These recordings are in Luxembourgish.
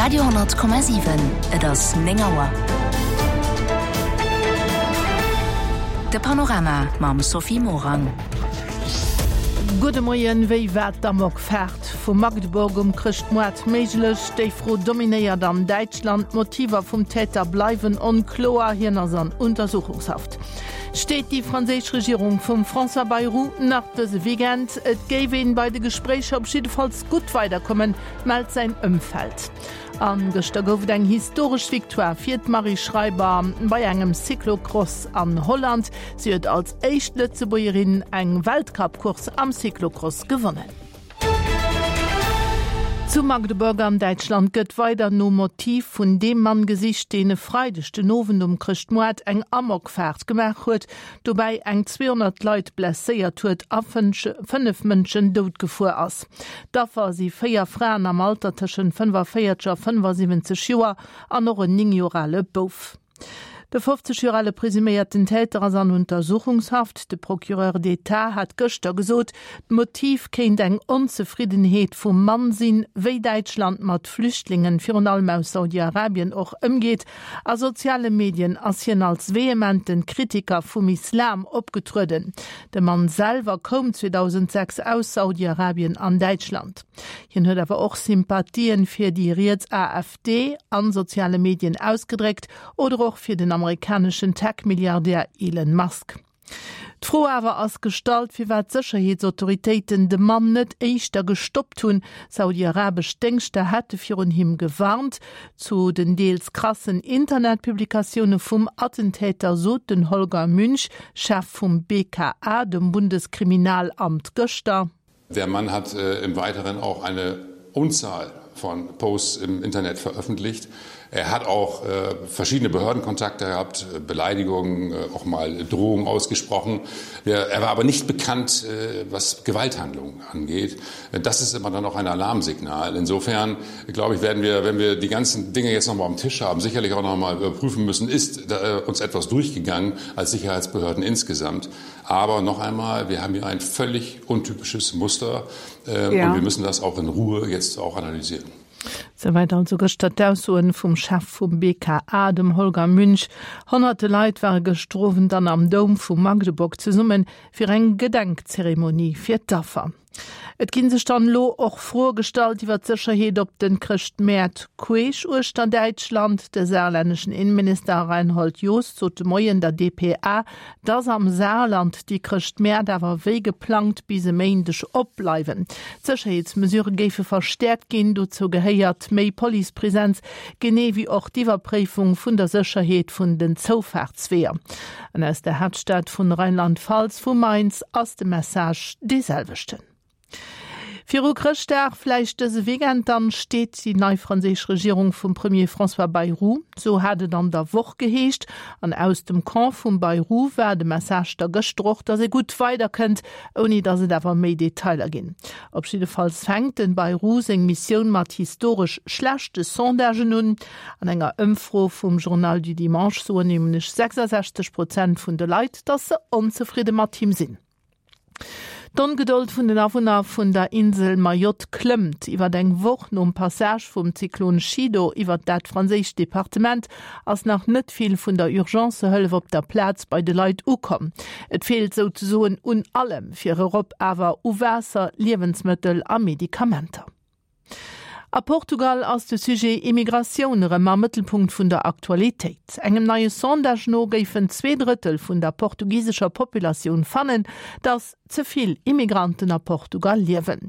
Radio,7 Et ass 9 Auer. De Panorama mam Sophie Morang. Gudde Moien, Wéi war d'Amokfaart vu Magdeburg um Chrëschtmoart méiglech? Déi Fro dominéiert an Däitschland. D'Motiver vum Täter bleiwen onkloer, hien ass an Untersuchungshaft. Steet déi franséisch Regierung vum François Bayrou nach dëse Weekend? Et géif een bei de Gespréicher op jiddefalls gutt weiderkommen, mellt säin Ëmfeld. A gëschter gouf et eng historesch Victoire fir d'Marie Schreiber bei engem Cyclocross an Holland. Si huet als éischt Lëtzebuergerin eng Weltcup-Course am Cyclocross gewonnen. Zu Magdeburg an Däitschland gëtt weider nom Motiv vun deem Mann gesicht, deen e Freideg den Owend um Chrëschtmoart eng Amokfaart gemaach huet, dobäi eng 200 Leit blesséiert huet a 5 Mënschen dout gefuer ass. D'Affer si 4 Fraen am Alter tëschent 45 a 75 Joer an och en 9 Joer ale Bouf. De 50 Joer ale presuméierten Täter ass an Untersuchungshaft. De Procureur d'État hat gëschter gesot, d'Motiv kéint eng Onzefriddenheet vum Mann sinn, wéi Däitschland mat Flüchtlingen, virun allem aus Saudi-Arabien, och ëmgeet. A soziale Medien ass hien als vehementen Kritiker vum Islam opgetrueden. De Mann selwer koum 2006 aus Saudi-Arabien an Däitschland. Hien huet awer och Sympathien fir déi riets AfD an soziale Medien ausgedréckt oder och fir den amerikaneschen Tech-Milliardär Elon Musk. D'Fro awer ass gestallt, firwat d'Sécherheetsautoritéiten de Mann net éischter gestoppt hunn. Saudi-arabesch Déngschter hätte virun him gewarnt. Zu den deels krassen Internetpublikatioune vum Attentäter sot den Holger Münch, Chef vum BKA, dem Bundeskriminalamt, gëschter. Der Mann hat äh, im Weiteren auch eine Unzahl von Posts im Internet veröffentlicht. Er hat auch äh, verschiedene Behördenkontakte gehabt, äh, Beleidigungen, äh, auch mal Drohungen ausgesprochen. Er, er war aber nicht bekannt, äh, was Gewalthandlungen angeht. Äh, das ist immer dann auch ein Alarmsignal. Insofern, glaube ich, werden wir, wenn wir die ganzen Dinge jetzt noch mal am Tisch haben, sicherlich auch noch mal überprüfen müssen, ist äh, uns etwas durchgegangen als Sicherheitsbehörden insgesamt. Aber noch einmal, wir haben hier ein völlig untypisches Muster äh, ja. und wir müssen das auch in Ruhe jetzt auch analysieren. Souwäit also gëschter d'Aussoen vum Chef vum BKA, dem Holger Münch. Honnerte Leit ware gëschter Owend dann am Doum vu Magdeburg zesummen, fir eng Gedenkzeremonie fir d'Affer. Et ginn sech dann elo och Froe gestallt iwwer d'Sécherheet op den Chrëschtmäert queesch uechter Däitschland. De saarlänneschen Innenminister Reinhold Jost sot de Moien der dpa, dass am Saarland déi Chrëschtmäert awer wéi geplangt bis e Méindeg opbleiwen. D'Sécherheetsmesurë géife verstäerkt ginn, dozou gehéiert méi Policepresenz, genee wéi och d'Iwwerpréifung vun der Sécherheet vun den Zoufaartsweeër. An aus der Haaptstad vun Rheinland-Pfalz, vu Mainz, ass de Message dee selwechten. Viru Chrëschtdag, vläicht dëse Weekend dann, steet déi nei franséisch Regierung vum Premier François Bayrou. Sou hat et an der Woch geheescht. An aus dem Camp vum Bayrou war de Message da gëschter och, datt ee gutt weiderkënnt, ouni datt et awer méi Detailer ginn. Op jiddefalls fänkt den Bayrou seng Missioun mat historesch schlechte Sondagen un. An enger Ëmfro vum Journal du Dimanche soen nämlech 66 Prozent vun de Leit, datt se onzefridde mat him sinn. D'Ongedold vun den Awunner vun der Insel Mayotte klëmmt. Iwwer eng Woch nom Passage vum Zyklon Chido iwwer dat franséischt Departement ass nach net vill vun der Urgencehëllef op der Plaz bei de Leit ukomm. Et feelt souzesoen un allem, fir erop awer u Waasser, Liewensmëttel a Medikamenter. A Portugal ass de Sujet Immigratioun erëm am Mëttelpunkt vun der Aktualitéit. Engem neie Sondage no géifen 2 Drëttel vun der portugisescher Populatioun fannen, datt ze vill Immigranten a Portugal liewen.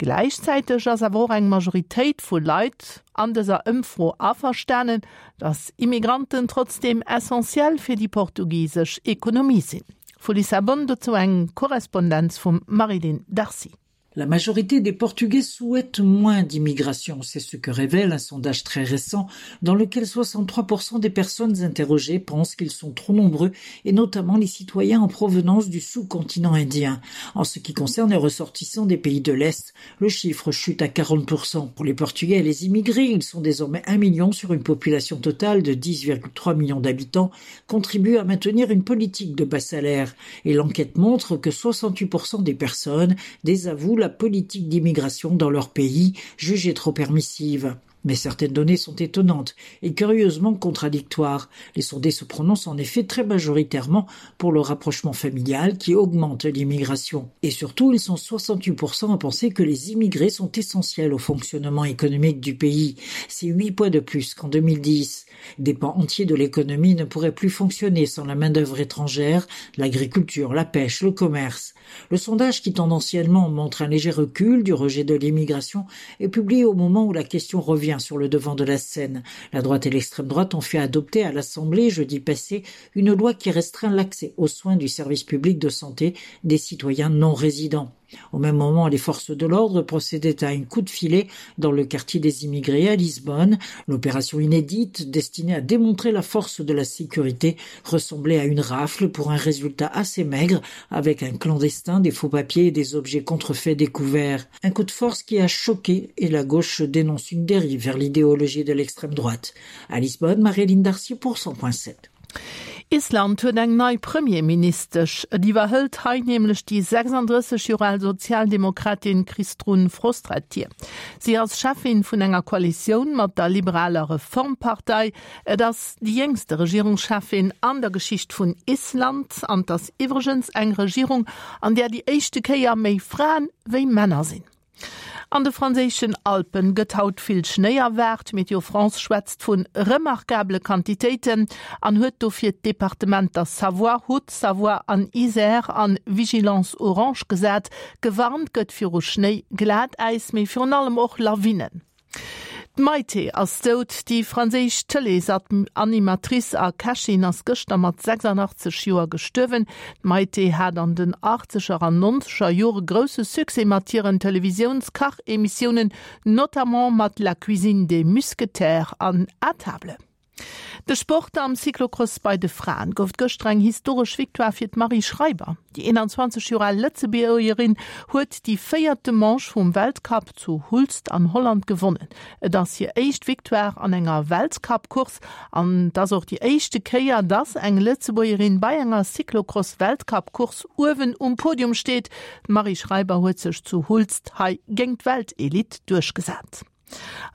Gläichzäiteg ass awer och eng Majoritéit vu Leit an dëser Ëmfro averstanen, datt Immigranten trotzdeem essentiell fir déi portugisesch Ekonomie sinn. Vu Lissabon dozou eng Korrespondenz vum Marie-Line Darcy. La majorité des Portugais souhaitent moins d'immigration, c'est ce que révèle un sondage très récent dans lequel 63% des personnes interrogées pensent qu'ils sont trop nombreux et notamment les citoyens en provenance du sous-continent indien. En ce qui concerne les ressortissants des pays de l'Est, le chiffre chute à 40%. Pour les Portugais et les immigrés, ils sont désormais 1 million sur une population totale de 10,3 millions d'habitants, contribuent à maintenir une politique de bas salaire. Et l'enquête montre que 68% des personnes désavouent la politique d'immigration dans leur pays, jugée trop permissive. Mais certaines données sont étonnantes et curieusement contradictoires. Les sondés se prononcent en effet très majoritairement pour le rapprochement familial qui augmente l'immigration. Et surtout, ils sont 68% à penser que les immigrés sont essentiels au fonctionnement économique du pays. C'est 8 points de plus qu'en 2010. Des pans entiers de l'économie ne pourraient plus fonctionner sans la main-d'œuvre étrangère, l'agriculture, la pêche, le commerce. Le sondage qui tendanciellement montre un léger recul du rejet de l'immigration est publié au moment où la question revient sur le devant de la scène. La droite et l'extrême droite ont fait adopter à l'Assemblée jeudi passé une loi qui restreint l'accès aux soins du service public de santé des citoyens non résidents. Au même moment, les forces de l'ordre procédaient à un coup de filet dans le quartier des immigrés à Lisbonne. L'opération inédite, destinée à démontrer la force de la sécurité, ressemblait à une rafle pour un résultat assez maigre, avec un clandestin, des faux papiers et des objets contrefaits découverts. Un coup de force qui a choqué et la gauche dénonce une dérive vers l'idéologie de l'extrême droite. À Lisbonne, Marie-Line Darcy pour 100.7. Island huet eng nei Premierministesch. Et iwwerhëlt hei nämlech déi 36 Joer al Sozialdemokratin Kristrún Frostadtir. Si ass Cheffin vun enger Koalitioun mat der liberaler Reformpartei. Et ass déi jéngste Regierungscheffin an der Geschicht vun Island an 't ass iwwregens eng Regierung, an där déi éischte Kéier méi Fraen wéi Männer sinn. An de franséischen Alpen gëtt haut vill Schnéi erwaart. Météo France schwätzt vu remarkabele Quantitéiten an huet dofir d'Departementer Savoie, Haute-Savoie an Isère an Vigilance orange gesat. Gewarnt gëtt viru Schnéi, Glatäis, mee virun allem och Lawinen. D'Maïté ass dout. Déi franséisch Tëleesanimatrice a Kächin ass gëschter mat 86 Joer gestuerwen. D'Maïté hat an den achtzeger an nonzeger Jore grousse Succès mat hiren Televisiouns-Kach-Emissiounen, notamment mat La cuisine des Musquetaires an À table. De Sport, Am Cyclocross bei de Fraen gouf et gëschter eng historesch Victoire fir d'Marie Schreiber. Déi 21 Joer al Lëtzebuergerin huet déi véierte Manche vum Weltcup zu Hulst an Holland gewonnen. Et ass hir éischt Victoire an enger Weltcup-Course an et ass och déi éischte Kéier, dass eng Lëtzebuergerin bei enger Cyclocross-Weltcup-Course uewen um Podium steet. D'Marie Schreiber huet sech zu Hulst hei géint d'Weltelite duerchgesat.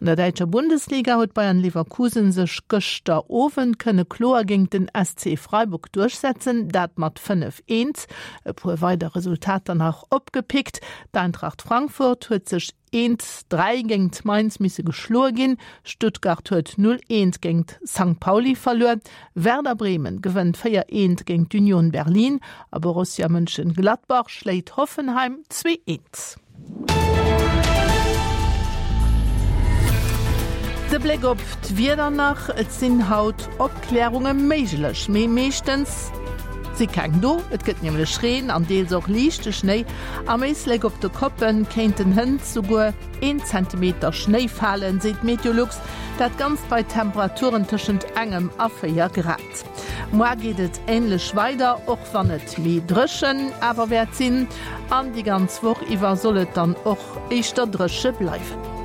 An der däitscher Bundesliga huet Bayern Leverkusen sech gëschter Owend kënne kloer géint den SC Freiburg duerchsetzen, dat mat 5, 1. E puer weider Resultater nach opgepickt, D'Eintracht Frankfurt huet sech 1, 3 géint Mainz misse geschloe ginn, Stuttgart huet 0, 1 géint Sankt Pauli verluer, Werder Bremen gewënnt 4, 1 géint d'Union Berlin a Borussia Mönchengladbach schléit Hoffenheim 2, 1. De Bléck op d'Wieder nach, Et sinn haut Opklärunge méiglech, mee meeschtens si keng do. Et gëtt nämlech Reen an deels och liichte Schnéi. Am Éislek op de Koppe kéinten hënt souguer een Zentimeter Schnéi falen, seet Meteolux. Dat Ganzt bei Temperaturen tëschent engem a 4 Grad. Moar geet et änlech weider, och wann et méi dréchen awer wäert sinn. An déi ganz Woch iwwer soll et dann och éischter dréche bleiwen.